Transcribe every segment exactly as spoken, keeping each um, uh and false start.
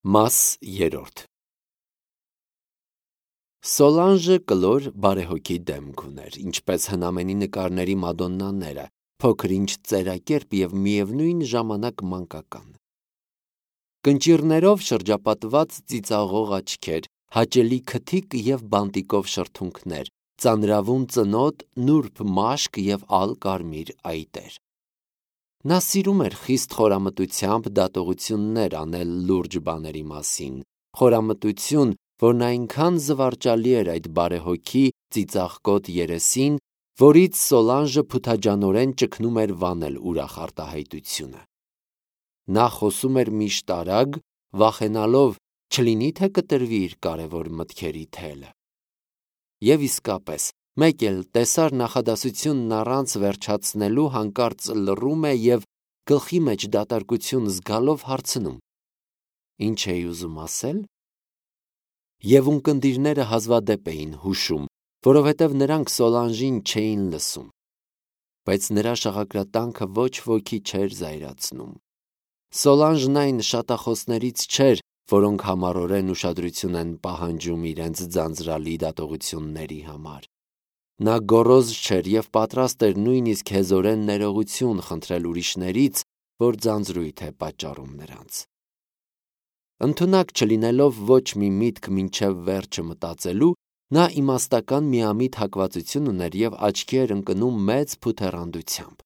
Մաս երրորդ Սոլանժը կլոր բարեհոգի դեմք ուներ, ինչպես հնամենի նկարների մադոննաները, փոքր-ինչ ծերակերպ և միևնույն ժամանակ մանկական։ Կնճիռներով շրջապատված ծիծաղող աչքեր, հաճելի քթիկ և բանտիկով շրթունքներ, ծանրավուն ծնոտ, նուրբ մաշկ և ալ կարմիր այտեր։ Նա սիրում էր խիստ խորամտությամբ դատողություններ անել լուրջ բաների մասին, խորամտություն, որն այնքան զվարճալի էր այդ բարեհոգի ծիծաղկոտ երեսին, որից Սոլանժը փութաջանորեն ճգնում էր վանել ուրախ արտահայտությունը։ Նա խոսում էր միշտ արագ, վախենալով չլինի թե կտրվի իր կարևոր մտքերի թելը։ Եվ իսկապես, մեկ էլ տեսար նախադասությունն առանց վերջացնելու հանկարծ լռում է և գլխի մեջ դատարկություն զգալով հարցնում. «Ինչ էի ուզում ասել»։ Եվ ունկնդիրները հազվադեպ էին հուշում, որովհետև նրանք Սոլանժին չէին լսում։ Բայց նրա շաղակրատանքը ոչ ոքի չէր զայրացնում։ Սոլանժն այն շատախոսներից չէր, որոնք համառորեն ուշադրություն են պահանջում իրենց ձանձրալի դատողությունների համար։ Նա գոռոզ չէր և պատրաստ էր նույնիսկ հեզորեն ներողություն խնդրել ուրիշներից, որ ձանձրույթ է պատճառում նրանց։ Ընդունակ չլինելով ոչ մի միտք մինչև վերջը մտածելու, նա իմաստական միամիտ հակվածություն ուներ և աչքի էր ընկնում մեծ փութեռանդությամբ։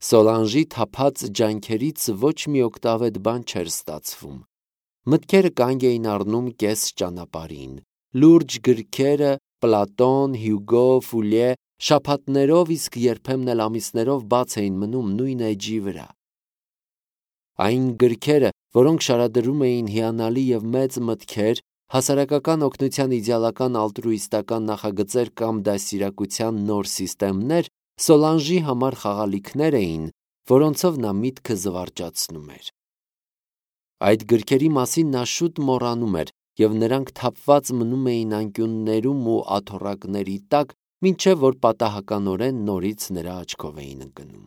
Սոլանժի թափած ջանքերից ոչ մի օգտավետ բան չէր ստացվում։ Մտքերը կանգ էին առնում կես ճանապարհին, լուրջ գրքերը Պլատոն, Հյուգո, Ֆուլյե շաբաթներով, իսկ երբեմն էլ ամիսներով բաց էին մնում նույն էջի վրա։ Այն գրքերը, որոնք շարադրում էին հիանալի և մեծ մտքեր, հասարակական օգնության իդեալական ալտրուիստական նախագծեր կամ դաստիարակության նոր սիստեմներ, Սոլանժի համար խաղալիքներ էին, որոնցով նա միտքը զվարճացնում էր։ Այդ գրքերի մասին նա շուտ մոռանում էր, և նրանք թափված մնում էին անկյուններում ու աթոռակների տակ, մինչև որ պատահականորեն նորից նրա աչքով էին ընկնում։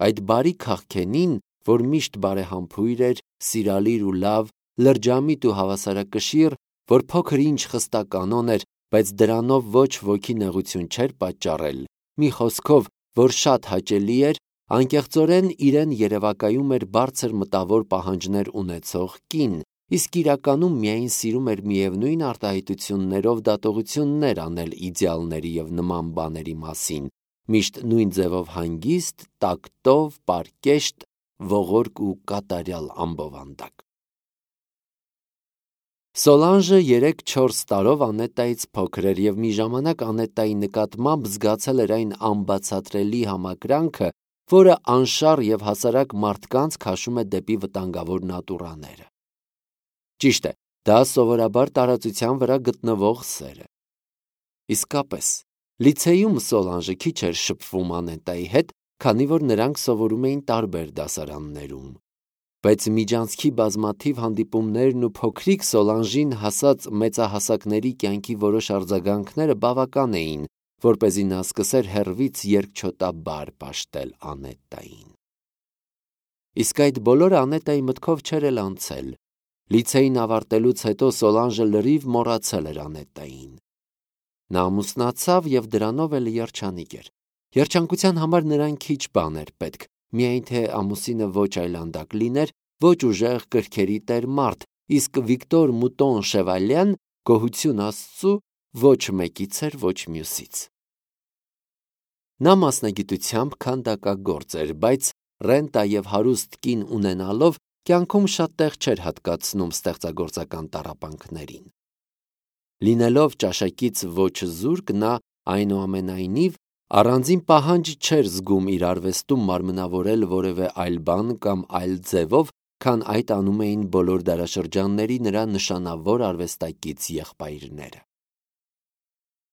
Այդ բարի քաղքենին, որ միշտ բարեհամբույր էր, սիրալիր ու լավ, լրջամիտ ու հավասարակշիռ, որ փոքր-ինչ խստականոն էր, բայց դրանով ոչ ոքի նեղություն չէր պատճառել, մի խոսքով, որ շատ հաճելի էր, անկեղծորեն իրեն երևակայում էր բարձր մտավոր պահանջներ ունեցող կին, իսկ իրականում միայն սիրում էր միևնույն արտահայտություններով դատողություններ անել իդեալների և նման բաների մասին, միշտ նույն ձևով հանգիստ, տակտով, պարկեշտ, ողորկ ու կատարյալ ամբովանդակ։ Սոլանժը երեք-չորս տարով Անետտայից փոքր էր և մի ժամանակ Անետտայի նկատմամբ զգացել էր այն անբացատրելի համակրանքը, որը անշառ և հասարակ մարդկանց քաշում է դեպի վտանգավոր նատուրաները։ Ճիշտ է, դա սովորաբար տարածության վրա գտնվող սեր է։ Իսկապես, լիցեյում Սոլանժը քիչ էր շփվում Անետտայի հետ, քանի որ նրանք սովորում էին տարբեր դասարաններում։ Բայց միջանցքի բազմաթիվ հանդիպումներն ու փոքրիկ Սոլանժին հասած մեծահասակների կյանքի որոշ արձագանքները բավական էին, որպեսզի նա սկսեր հեռվից երկչոտաբար պաշտել Անետտային։ Իսկ այդ բոլորը Անետտայի մտքով չէր էլ անցել։ Լիցեյն ավարտելուց հետո Սոլանժը լրիվ մոռացել էր Անետտային։ Նա ամուսնացավ և դրանով էլ երջանիկ էր։ Երջանկության համար նրան քիչ բան էր պետք, միայն թե ամուսինը ոչ այլանդակ լիներ, ոչ ուժեղ կրքերի տեր մարդ, իսկ Վիկտոր Մուտոն Շևալյան, գոհություն Աստծու, ոչ մեկից էր, ոչ մյուսից։ Նա մասնագիտությամբ քանդակագործ էր, բայց ռենտա և հարուստ կին ունենալով կյանքում շատ տեղ չէր հատկացնում ստեղծագործական տառապանքներին։ Լինելով ճաշակից ոչ զուրկ, նա, այնուամենայնիվ, առանձին պահանջ չէր զգում իր արվեստում մարմնավորել որևէ այլ բան կամ այլ ձևով, քան այդ անում էին բոլոր դարաշրջանների նրա նշանավոր արվեստակից եղբայրները։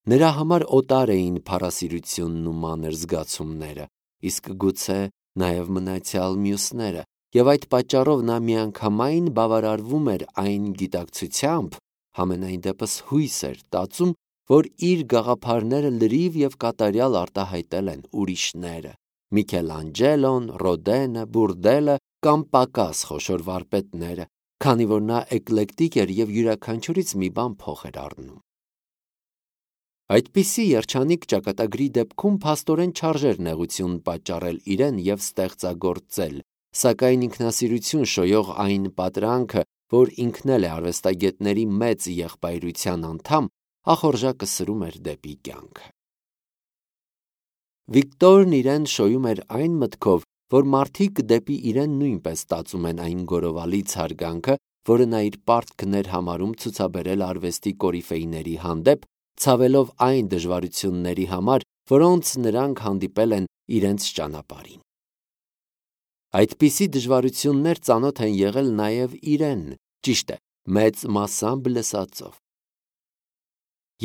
Նրա համար օտար էին փառասիրությունն ու մանր զգացումները, իսկ գուցե նաև մնացյալ մյուսները, և այդ պատճառով նա միանգամայն բավարարվում էր այն գիտակցությամբ, համենայն դեպս հույս էր տածում, որ իր գաղափարները լրիվ և կատարյալ արտահայտել են ուրիշները՝ Միքելանջելոն, Ռոդենը, Բուրդելը կամ պակաս խոշոր վարպետները, քանի որ նա էկլեկտիկ էր և յուրաքանչյուրից մի բան փող էր առնում։ Այդպիսի երջանիկ ճակատագրի դեպքում փաստորեն չարժեր նեղություն պատճառել իրեն և ստեղծագործել, սակայն ինքնասիրություն շոյող այն պատրանքը, որ ինքն էլ է արվեստագետների մեծ եղբայրության անդամ, ախորժակը սրում էր դեպի կյանքը։ Վիկտորն իրեն շոյում էր այն մտքով, որ մարդիկ դեպի իրեն նույնպես ստացում են այն գորովալից հարգանքը, որը նա իր պարտքն էր համարում ցուցաբերել արվեստի կորիֆեիների հանդեպ, ցավելով այն դժվարությունների համար, որոնց նրանք հանդիպել են իրենց ճանապարհին։ Այդպիսի դժվարություններ ծանոթ են եղել նաև իրեն, ճիշտ է, մեծ մասամբ լսածով։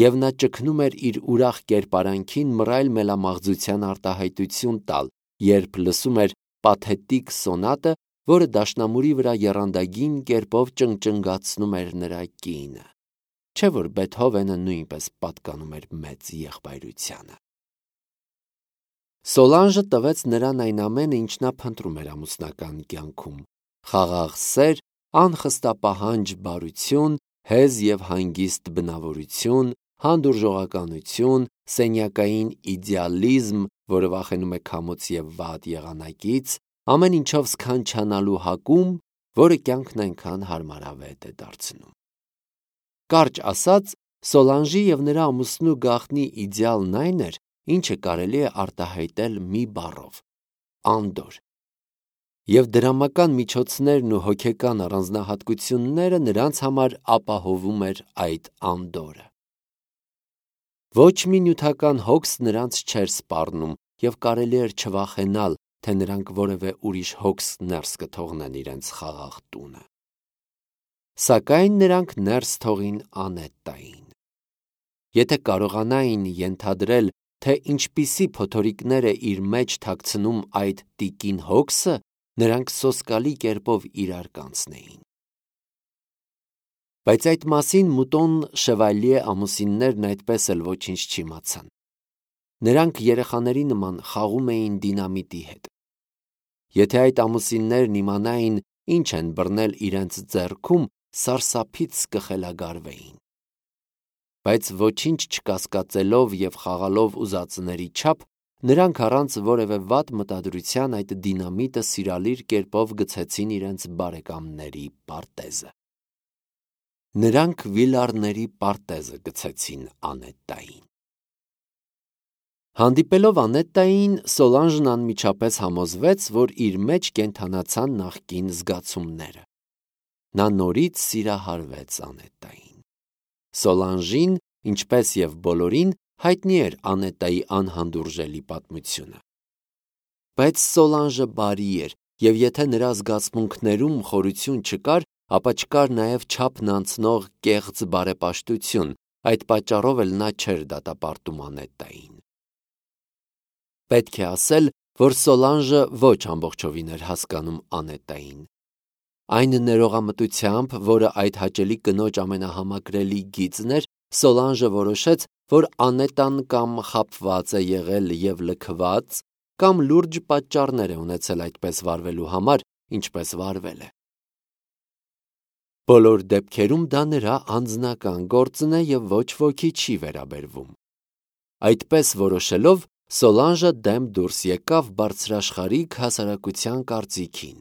Եվ նա ճգնում էր իր ուրախ կերպարանքին մռայլ մելամաղձության արտահայտություն տալ, երբ լսում էր պաթետիկ սոնատը, որը դաշնամուրի վրա եռանդագին կերպով ճնճնգացնում էր նրա կինը, չէ՞ որ Բեթհովենը նույնպես պատկանում էր մեծ եղբայրությանը։ Սոլանժը տվեց նրան այն ամենը, ինչ նա փնտրում էր ամուսնական կյանքում՝ խաղաղ սեր, անխստապահանջ բարություն, հեզ և հանգիստ բնավորություն, հանդուրժողականություն, սենյակային իդեալիզմ, որը վախենում է քամուց և վատ եղանակից, ամեն ինչով սքանչանալու հակում, որը կյանքն այնքան հարմարավետ է դարձնում։ Կարճ ասած, Սոլանժի և նրա ամուսնու գաղտնի իդեալն այն էր, ինչը կարելի է արտահայտել մի բառով՝ անդորր, և դրամական միջոցներն ու հոգեկան առանձնահատկությունները նրանց համար ապահովում էր այդ անդորրը։ Ոչ մի նյութական հոգս նրանց չէր սպառնում, և կարելի էր չվախենալ, թե նրանք որևէ ուրիշ հոգս ներս կթողնեն իրենց խաղաղ տունը։ Սակայն նրանք ներս թողին Անետտային։ Եթե կարողանային ենթադրել, թե ինչպիսի փոթորիկներ է իր մեջ թաքցնում այդ տիկին հոգսը, նրանք սոսկալի կերպով իրար կանցնեին։ Բայց այդ մասին Մուտոն Շևալյե ամուսիններն այդպես էլ ոչինչ չիմացան։ Նրանք երեխաների նման խաղում էին դինամիտի հետ։ Եթե այդ ամուսիններն իմանային, ինչ են բռնել իրենց ձեռքում, սարսափից կխելագարվեին։ Բայց ոչինչ չկասկածելով և խաղալով ուզածների չափ, նրանք առանց որևէ վատ մտադրության այդ դինամիտը սիրալիր կերպով գցեցին իրենց բարեկամների պարտեզը։ Նրանք վիլառների պարտեզը գցեցին Անետտային։ Հանդիպելով Անետտային, Սոլանժն անմիջապես համոզվեց, որ իր մեջ կենդանացան նախկին զգացումները։ Նա նորից սիրահարվեց Անետտային։ Սոլանժին, ինչպես և բոլորին, հայտնի էր Անետտայի անհանդուրժելի պատմությունը։ Բայց Սոլանժը բարի էր, և եթե նրա զգացմունքներում խորություն չկար, ապա չկար նաև չափն անցնող կեղծ բարեպաշտություն, այդ պատճառով էլ նա չէր դատապարտում Անետտային։ Պետք է ասել, որ Սոլանժը ոչ ամբողջովին էր հասկանում Անետտային։ Այն ներողամտությամբ, որը այդ հաճելի կնոջ ամենահամակրելի գիծն էր, Սոլանժը որոշեց, որ Անետտան կամ խաբված է եղել և լքված, կամ լուրջ պատճառներ է ունեցել այդպես վարվելու համար, ինչպես վարվել է։ Բոլոր դեպքերում դա նրա անձնական գործն է և ոչ ոքի չի վերաբերվում։ Այդպես որոշելով, Սոլանժը դեմ դուրս եկավ բարձրաշխարհիկ հասարակության կարծիքին։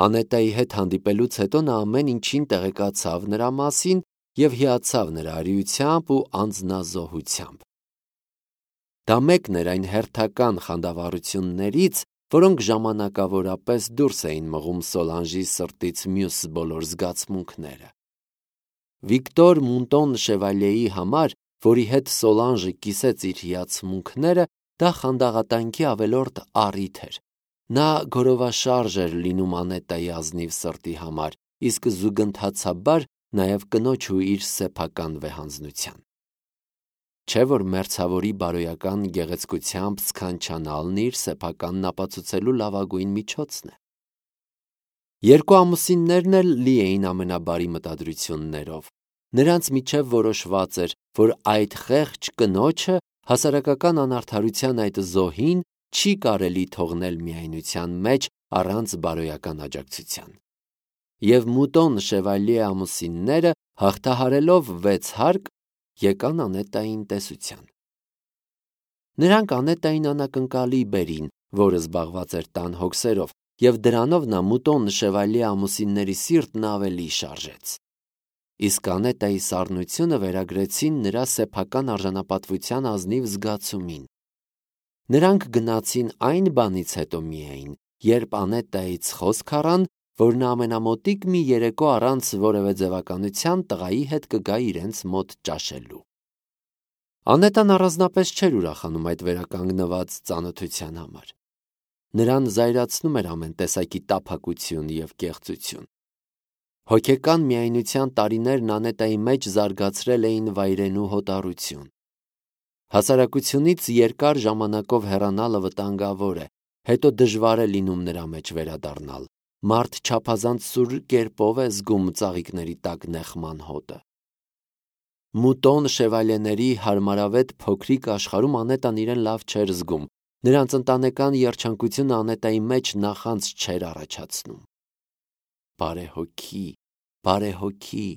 Անետտայի հետ հանդիպելուց հետո նա ամեն ինչին տեղեկացավ նրա մասին և հիացավ նրա արիությամբ ու անձնազոհությամբ։ Դա մեկն էր այն հերթական խանդավառություններից, որոնք ժամանակավորապես դուրս էին մղում Սոլանժի սրտից մյուս բոլոր զգացմունքները։ Վիկտոր Մունտոն Շևալյեի համար, որի հետ Սոլանժը կիսեց իր հիացմունքները, դա խանդաղատանքի ավելորդ առիթ էր։ Նա գորովաշարժ էր լինում Անետտայի ազնիվ սրտի համար, իսկ զուգընթացաբար նաև կնոջ ու իր սեփական վեհանձնության։ Չէ՞ որ մերձավորի բարոյական գեղեցկությամբ սքանչանալն իր սեփականն ապացուցելու լավագույն միջոցն է։ Երկու ամուսիններն էլ լի էին ամենաբարի մտադրություններով։ Նրանց միջև որոշված էր, որ այդ խեղճ կնոջը հասարակական անարդարության այդ զոհին չի կարելի թողնել միայնության մեջ առանց բարոյական աջակցության։ Եվ Մուտոն Շևալիե ամուսինները հաղթահարելով վեց հարկ եկան Անետային տեսության։ Նրանք Անետային անակնկալի բերին, որը զբաղված էր տան հոգսերով, և դրանով նա Մուտոն Շևալիե ամուսինների սիրտն ավելի շարժեց։ Իսկ Անետայի սառնությունը վերագրեցին նրա սեփական արժանապատվության ազնիվ զգացումին։ Նրանք գնացին այն բանից հետո միայն, երբ Անետայից խոսք առան, որ նա ամենամոտիկ մի երեկո առանց որևէ ձևականության տղայի հետ կգա իրենց մոտ ճաշելու։ Անետան առանձնապես չէր ուրախանում այդ վերականգնված ծանոթության համար։ Նրան զայրացնում էր ամեն տեսակի տափակություն և կեղծություն։ Հոգեկան միայնության տարիներն Անետայի մեջ զարգացրել էին վայրենու հոտառություն։ Հասարակությունից երկար ժամանակով հեռանալը վտանգավոր է, հետո դժվար է լինում նրա մեջ վերադառնալ։ Մարդ չափազանց սուր կերպով է զգում ծաղիկների տակ նեղման հոտը։ Մուտոն Շևալիեների հարմարավետ փոքրիկ աշխարհում Անետան իրեն լավ չէր զգում։ Նրանց ընտանեկան երջանկությունը Անետայի մեջ նախանց չէր առաջացնում։ Բարեհոգի, բարեհոգի,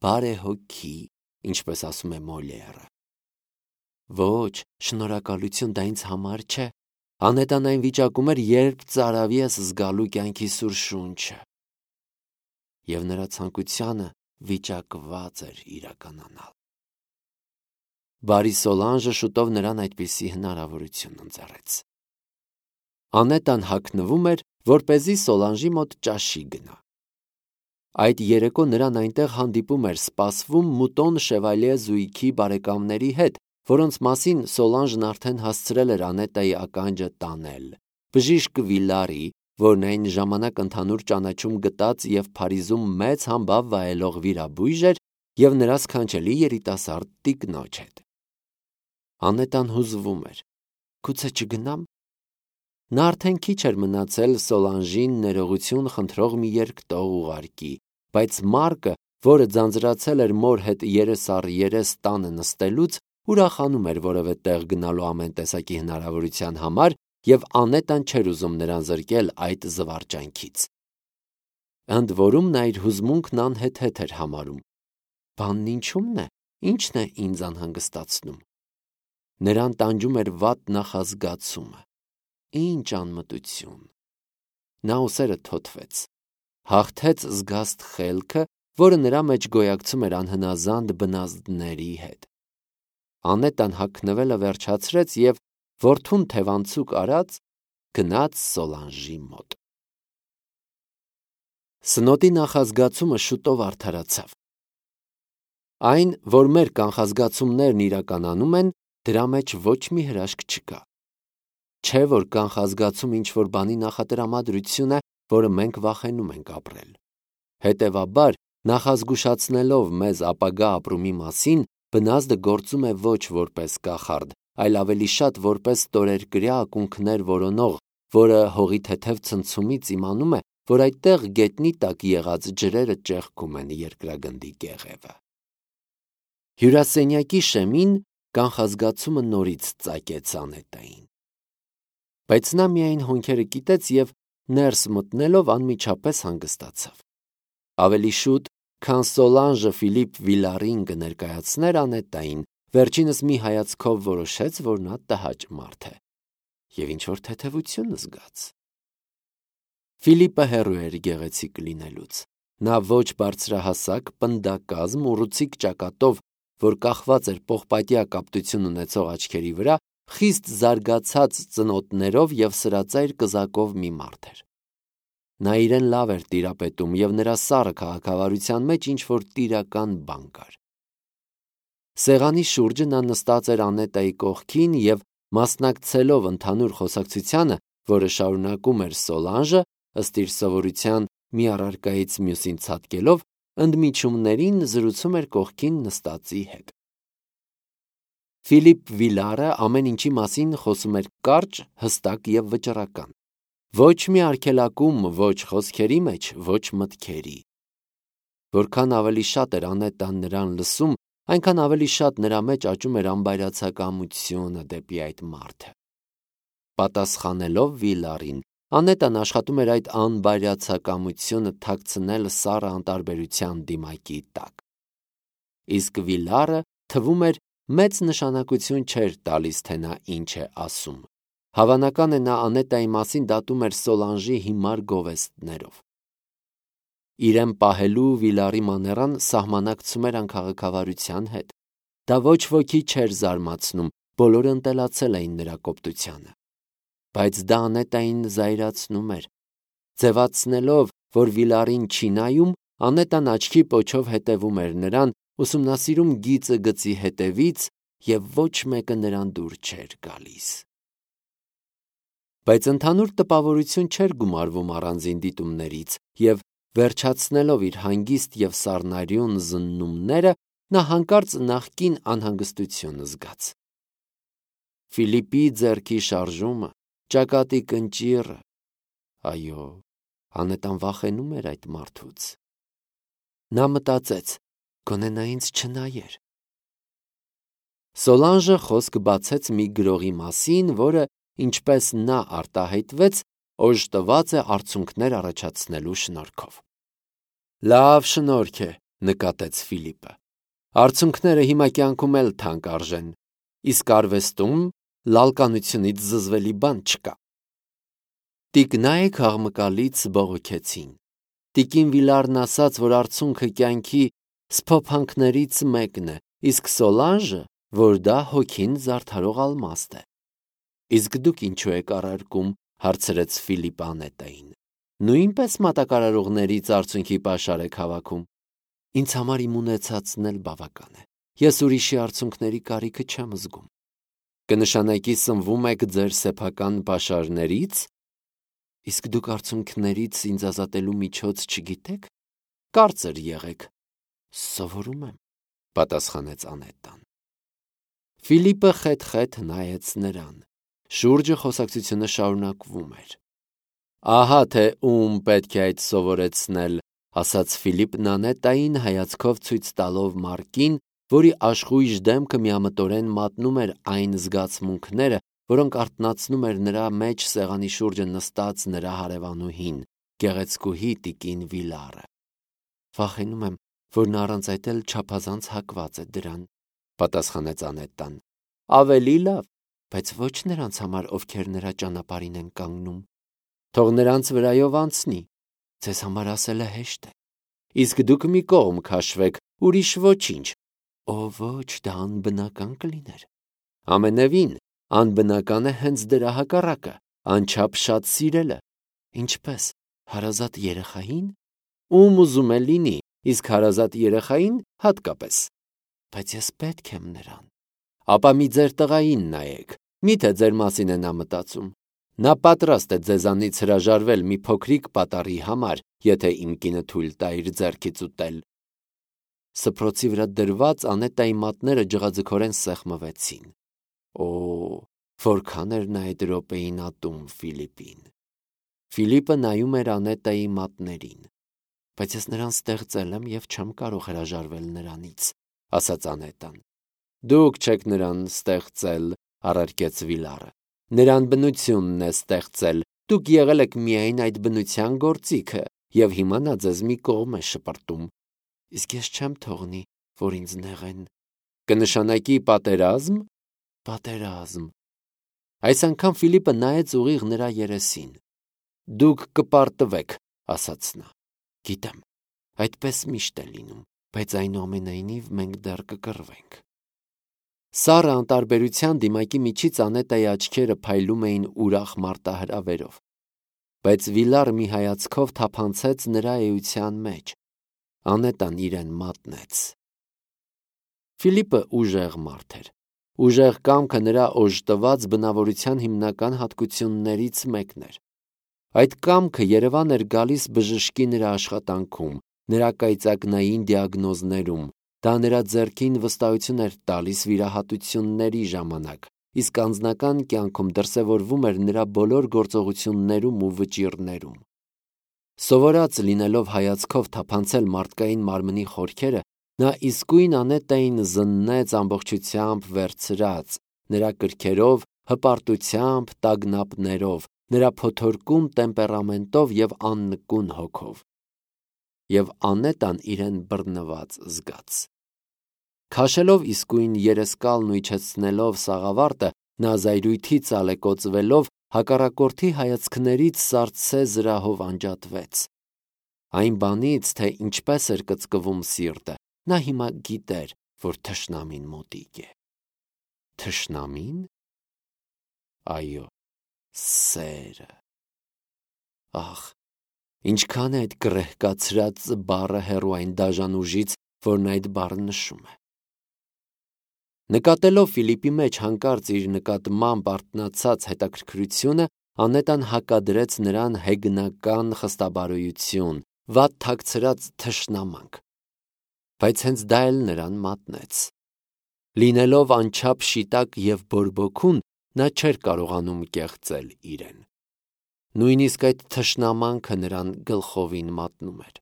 բարեհոգի, ինչպես ասում է Մոլիերը։ Ոչ, շնորհակալություն, դա ինձ համար չէ։ Անետան այն վիճակում էր, երբ ծարավի ես զգալու կյանքի սուր շունչը։ Եվ նրա ցանկությանը վիճակված էր իրականանալ։ Բարի Սոլանժը շուտով նրան այդպիսի հնարավորություն ընձեռեց։ Անետան հագնվում էր, որպեսզի Սոլանժի մոտ ճաշի գնա։ Այդ երեկո նրան այնտեղ հանդիպում էր սպասվում Մուտոն Շևալիե զույգի բարեկամների հետ, որոնց մասին Սոլանժն արդեն հասցրել էր Անետայի ականջը տանել։ Բժիշկ Վիլարի, որն այն ժամանակ ընդհանուր ճանաչում գտած և Փարիզում մեծ համբավ վայելող վիրաբույժ էր, և նրա սքանչելի երիտասարդ տիկնոջ հետ։ Անետան հուզվում էր։ Գուցե չգնամ։ Նա արդեն քիչ էր մնացել Սոլանժին ներողություն խնդրող մի երկտող ուղարկի, բայց Մարկը, որը ձանձրացել էր մոր հետ երես առ երես տանը նստելուց, ուրախանում էր որևէ տեղ գնալու ամեն տեսակի հնարավորության համար, և Անետան չէր ուզում նրան զրկել այդ զվարճանքից։ Ընդ որում նա իր հուզմունքն անհեթեթ էր համարում։ Բանն ինչու՞մն է, ի՞նչն է ինձ անհանգստացնում։ Նրան տանջում էր վատ նախազգացումը։ Ինչ անմտություն։ Նա ուսերը թոթվեց։ Հաղթեց զգաստ խելքը, որը նրա մեջ գոյակցում էր անհնազանդ բնազդների հետ։ Անետան հագնվելը վերջացրեց և որդուն թևանցուկ արած գնաց Սոլանժի մոտ։ Սնոտի նախազգացումը շուտով արդարացավ։ Այն, որ մեր կանխազգացումներն իրականանում են, դրա մեջ ոչ մի հրաշք չկա։ Չէ, որ կանխազգացում ինչ-որ բանի նախատրամադրություն է, որը մենք վախենում ենք ապրել։ Հետևաբար, նախազգուշացնելով մեզ ապագա ապրումի մասին, բնազդը գործում է ոչ որպես կախարդ, այլ ավելի շատ որպես ստորերկրյա ակունքներ որոնող, որը հողի թեթև ցնցումից իմանում է, որ այդտեղ գետնի տակ եղած ջրերը ճեղքում են երկրագնդի կեղևը։ Հյուրասենյակի շեմին կանխազգացումը նորից ծակեց Անետային։ Բայց նա միայն հոնքերը կիտեց և ներս մտնելով անմիջապես հանգստացավ։ Ավելի շուտ, քան Սոլանժը Ֆիլիպ Վիլարին կներկայացներ Անետային, վերջինս մի հայացքով որոշեց, որ նա տհաճ մարդ է, և ինչ-որ թեթևություն զգաց։ Ֆիլիպը հեռու էր գեղեցիկ լինելուց։ Նա ոչ բարձրահասակ, պնդակազմ, ուռուցիկ ճակատով, որ կախված էր պողպատյա կապտություն ունեցող աչքերի վրա, խիստ զարգացած ծնոտներով և սրածայր կզակով մի մարդ էր։ Նա իրեն լավ էր տիրապետում, և նրա սառը քաղաքավարության մեջ ինչ-որ տիրական բան կար։ Սեղանի շուրջը նա նստած էր Անետայի կողքին և, մասնակցելով ընդհանուր խոսակցությանը, որը շարունակում էր Սոլանժը, ըստ իր սովորության մի առարկայից մյուսին ցատկելով, ընդմիջումներին զրուցում էր կողքին նստածի հետ։ Ֆիլիպ Վիլարը ամեն ինչի մասին խոսում էր կարճ, հստակ և վճռական։ Ոչ մի արգելակում, ոչ խոսքերի մեջ, ոչ մտքերի։ Որքան ավելի շատ էր Անետան նրան լսում, այնքան ավելի շատ նրա մեջ աճում էր անբայրացակամությունը դեպի այդ մարդը։ Պատասխանելով Վիլարին, Անետան աշխատում էր այդ անբարյացակամությունը թաքցնել սառը անտարբերության դիմակի տակ։ Իսկ Վիլարը թվում էր մեծ նշանակություն չէր տալիս, թե նա ինչ է ասում։ Հավանական է նա Անետայի մասին դատում էր Սոլանժի հիմար գովեստներով։ Իրեն պահելու Վիլարի մաներան սահմանակցում էր անքաղաքավարության հետ։ Դա ոչ ոքի չէր զարմացնում, բոլորը ընտելացել էին նրա կոպտությանը։ Բայց դա Անետային զայրացնում էր։ Ձևացնելով, որ Վիլարին չի նայում, Անետան աչքի պոչով հետևում էր նրան, ուսումնասիրում գիծը գծի հետևից, և ոչ մեկը նրան դուր չէր գալիս։ Բայց ընդհանուր տպավորություն չէր գումարվում առանձին դիտումներից, և վերջացնելով իր հանգիստ և սառնարյուն զննումները, նա հանկարծ նախկին անհանգստություն զգաց։ Ֆիլիպի ձեռքի շարժումը, ճակատի կնճիռը… Այո, Անետան վախենում էր այդ մարդուց։ Նա մտածեց. գոնե նա ինձ չնայեր։ Սոլանժը խոսք բացեց մի գրողի մասին, որը, ինչպես նա արտահայտվեց, օժտված է արցունքներ առաջացնելու շնորհքով։ Լավ շնորհք է, նկատեց Ֆիլիպը։ Արցունքները հիմա կյանքում էլ թանկ արժեն, իսկ արվեստում լալկանությունից զզվելի բան չկա։ Տիկնայք աղմկալից բողոքեցին։ Տիկին Վիլարն ասաց, որ արցունքը կյանքի սփոփանքներից մեկն է, իսկ Սոլանժը, որ դա հոգին զարդարող ալմաստ է։ Իսկ դուք ինչու եք առարկում, հարցրեց Ֆիլիպը Անետային։ Նույնպես մատակարարողներից արցունքի պաշար եք հավաքում։ Ինձ համար իմ ունեցածն էլ բավական է։ Ես ուրիշի արցունքների կարիքը չեմ զգում։ Կնշանակի սնվում եք ձեր սեփական պաշարներից։ Իսկ դուք արցունքներից ինձ ազատելու միջոց չգիտեք։ Կարծր եղեք։ Սովորում եմ, պատասխանեց Անետան։ Ֆիլիպը խեթ-խեթ նայեց նրան։ Շուրջը խոսակցությունը շարունակվում էր։ Ահա թե ում պետք է այդ սովորեցնել, ասաց Ֆիլիպն Անետային, հայացքով ցույց տալով Մարկին, որի աշխույժ դեմքը միամտորեն մատնում էր այն զգացմունքները, որոնք արթնացնում էր նրա մեջ սեղանի շուրջը նստած նրա հարևանուհին, գեղեցկուհի տիկին Վիլարը։ Վախենում եմ, որ նա առանց այդ էլ չափազանց հակված է դրան, պատասխանեց Անետան։ Ավելի լավ, բայց ոչ նրանց համար, ովքեր նրա ճանապարհին են կանգնում։ Թող նրանց վրայով անցնի, ձեզ համար ասելը հեշտ է։ Իսկ դուք մի կողմ քաշվեք, ուրիշ ոչինչ։ Օ ոչ, դա անբնական կլիներ։ Ամենևին, անբնական է հենց դրա հակառակը, անչափ շատ սիրելը։ Ինչպես, հարազատ երեխային։ Ում ուզում է լինի, իսկ հարազատ երեխային հատկապես։ Բայց ես պետք եմ նրան։ Ապա մի ձեր տղային նայեք, միթե ձեր մասին է նա մտածում։ Նա պատրաստ է ձեզանից հրաժարվել մի փոքրիկ պատառի համար, եթե իմ կինը թույլ տա իր ձեռքից ուտել։ Սփռոցի վրա դրված Անետայի մատները ջղաձգորեն սեղմվեցին։ Օ, որքան էր նա այդ րոպեին ատում Ֆիլիպին։ Ֆիլիպը նայում էր Անետայի մատներին։ Բայց ես նրան ստեղծել եմ և չեմ կարող հրաժարվել նրանից, ասաց Անետան։ Դուք չեք նրան ստեղծել, առարկեց Վիլարը։ Նրան բնությունն է ստեղծել, դուք եղել եք միայն այդ բնության գործիքը, և հիմա նա ձեզ մի կողմ է շպրտում։ Իսկ ես չեմ թողնի, որ ինձ նեղեն։ Կնշանակի պատերազմ։ Պատերազմ։ Այս անգամ Ֆիլիպը նայեց ուղիղ նրա երեսին։ Դուք կպարտվեք, ասաց նա։ Գիտեմ, այդպես միշտ է լինում, բայց այնուամենայնիվ մենք դեռ կկռվենք։ Սառը անտարբերության դիմակի միջից Անետայի աչքերը փայլում էին ուրախ մարտահրավերով, բայց Վիլարը մի հայացքով թափանցեց նրա էության մեջ։ Անետան իրեն մատնեց։ Ֆիլիպը ուժեղ մարդ էր։ Ուժեղ կամքը նրա օժտված բնավորության հիմնական հատկություններից մեկն էր։ Այդ կամքը երևան էր գալիս բժշկի նրա աշխատանքում, նրա կայծակնային դիագնոզներում, դա նրա ձեռքին վստահություն էր տալիս վիրահատությունների ժամանակ, իսկ անձնական կյանքում դրսևորվում էր նրա բոլոր գործողություններում ու վճիռներում։ Սովորած լինելով հայացքով թափանցել մարդկային մարմնի խորքերը, նա իսկույն Անետային զննեց ամբողջությամբ վերցրած, նրա կրքերով, հպարտությամբ, տագնապներով, նրա փոթորկուն տեմպերամենտով եւ աննկուն հոգով։ Եվ Անետան իրեն բռնված զգաց։ Քաշելով իսկույն երեսկալն ու իջեցնելով սաղավարտը, նա զայրույթի ծալեկոծվելով հակառակորդի հայացքներից սառցե զրահով անջատվեց։ Այն բանից, թե ինչպես էր կծկվում սիրտը, նա հիմա գիտեր, որ թշնամին մոտիկ է։ Թշնամին։ Այո, սերը։ Ախ, ինչքան է այդ կռեհկացրած բառը հեռու այն դաժան ուժից, որն այդ բառը նշում է։ Նկատելով Ֆիլիպի մեջ հանկարծ իր նկատմամբ արթնացած հետաքրքրությունը, Անետան հակադրեց նրան հեգնական խստաբարոյություն, վատ թաքցրած թշնամանք։ Բայց հենց դա էլ նրան մատնեց։ Լինելով անչափ շիտակ եւ բորբոքուն, նա չէր կարողանում կեղծել իրեն։ Նույնիսկ այդ թշնամանքը նրան գլխովին մատնում էր։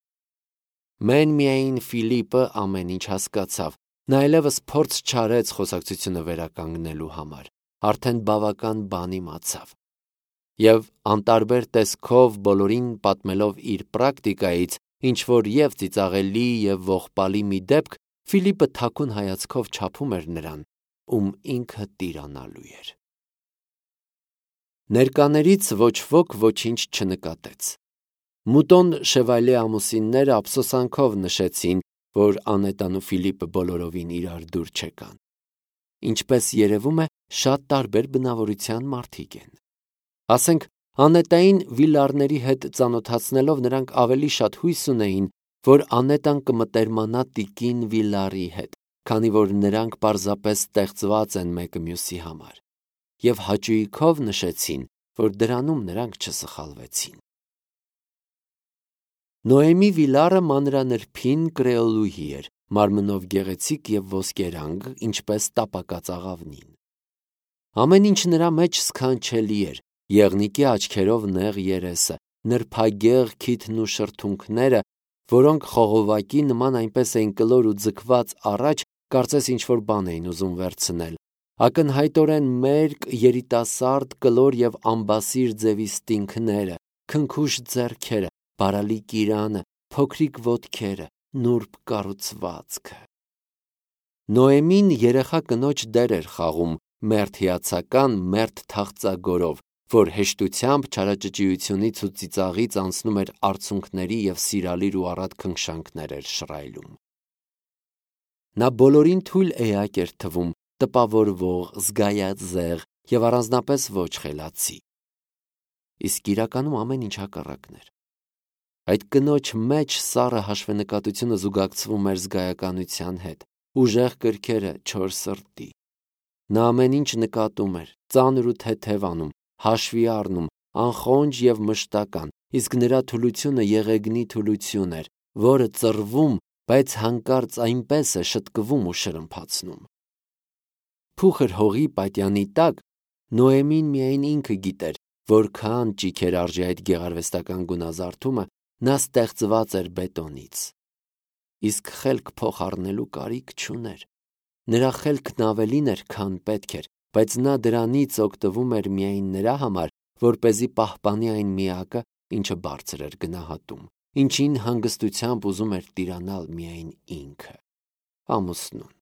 Մեն միայն Ֆիլիպը ամեն ինչ հասկացավ, նա այլևս փորձ չարեց խոսակցությունը վերականգնելու համար, արդեն բավական բան իմացավ։ Եվ անտարբեր տեսքով բոլորին պատմելով իր պրակտիկայից, ինչ որ եւ ծիծաղելի եւ ողբալի մի դեպք, Ֆիլիպը թաքուն հայացքով չափում էր նրան, ում ինքը տիրանալու էր։ Ներկաներից ոչ ոք ոչինչ չնկատեց։ Մուտոն Շևալյե ամուսինները ափսոսանքով նշեցին, որ Անետան ու Ֆիլիպը բոլորովին իրար դուր չեկան։ Ինչպես երևում է, շատ տարբեր բնավորության մարդիկ են։ Ասենք, Անետային վիլարների հետ ծանոթացնելով նրանք ավելի շատ հույս ունեին, որ Անետան կմտերմանա տիկին վիլարի հետ, քանի որ նրանք պարզապես ստեղծված են մեկը մյուսի համար, եւ հաճույքով նշեցին, որ դրանում նրանք չսխալվեցին։ Նոեմի վիլարը մանրանրբին կրեոլուհի էր, մարմնով գեղեցիկ եւ ոսկերանգ, ինչպես տապակած աղավնին։ Ամեն ինչ նրա մեջ սքանչելի էր, եղնիկի աչքերով նեղ երեսը, նրբագեղ քիթն ու շրթունքները, որոնք խողովակի նման այնպես էին կլոր ու ձգված առաջ, կարծես ինչ-որ բան էին ուզում վերցնել, ակնհայտորեն մերկ, երիտասարդ, կլոր եւ ամբասիր ձևի ստինքները, քնքուշ ձեռքերը, բարալի կիրանը, փոքրիկ ոտքերը, նուրբ կառուցվածքը։ Նոեմին երեխա կնոջ դեր էր խաղում, մերթ հիացական, մերթ թախծագորով, որ հեշտությամբ չարաճճիությունից ու ծիծաղից անցնում էր արցունքների եւ սիրալիր ու առատ քնքշանքներ էր շռայլում։ Նա բոլորին թույլ էակ էր թվում, տպավորվող, զգայաձեղ եւ առանձնապես ոչ խելացի։ Իսկ իրականում ամեն ինչ հակառակն էր։ Այդ կնոջ մեջ սառը հաշվենկատությունը զուգակցվում էր զգայականության հետ, ուժեղ կրքերը չոր սրտի։ Նա ամեն ինչ նկատում էր, ծանր ու թեթև անում, հաշվի առնում, անխոնջ եւ մշտական, իսկ նրա թուլությունը եղեգնի թուլություն էր, որը ծռվում, բայց հանկարծ այնպես է շտկվում ու շրմփացնում։ Փուխր հողի պատյանի տակ Նոեմին միայն ինքը գիտեր, որքան ճիք էր արժի այդ գեղարվեստական գունազարդումը, նա ստեղծված էր բետոնից։ Իսկ խելք փոխառնելու կարիք չուներ։ Նրա խելքն ավելին էր, քան պետք էր, բայց նա դրանից օգտվում էր միայն նրա համար, որպեսզի պահպանի այն միակը, ինչը բարձր էր գնահատում, ինչին հանգստությամբ ուզում էր տիրանալ միայն ինքը՝ ամուսնուն։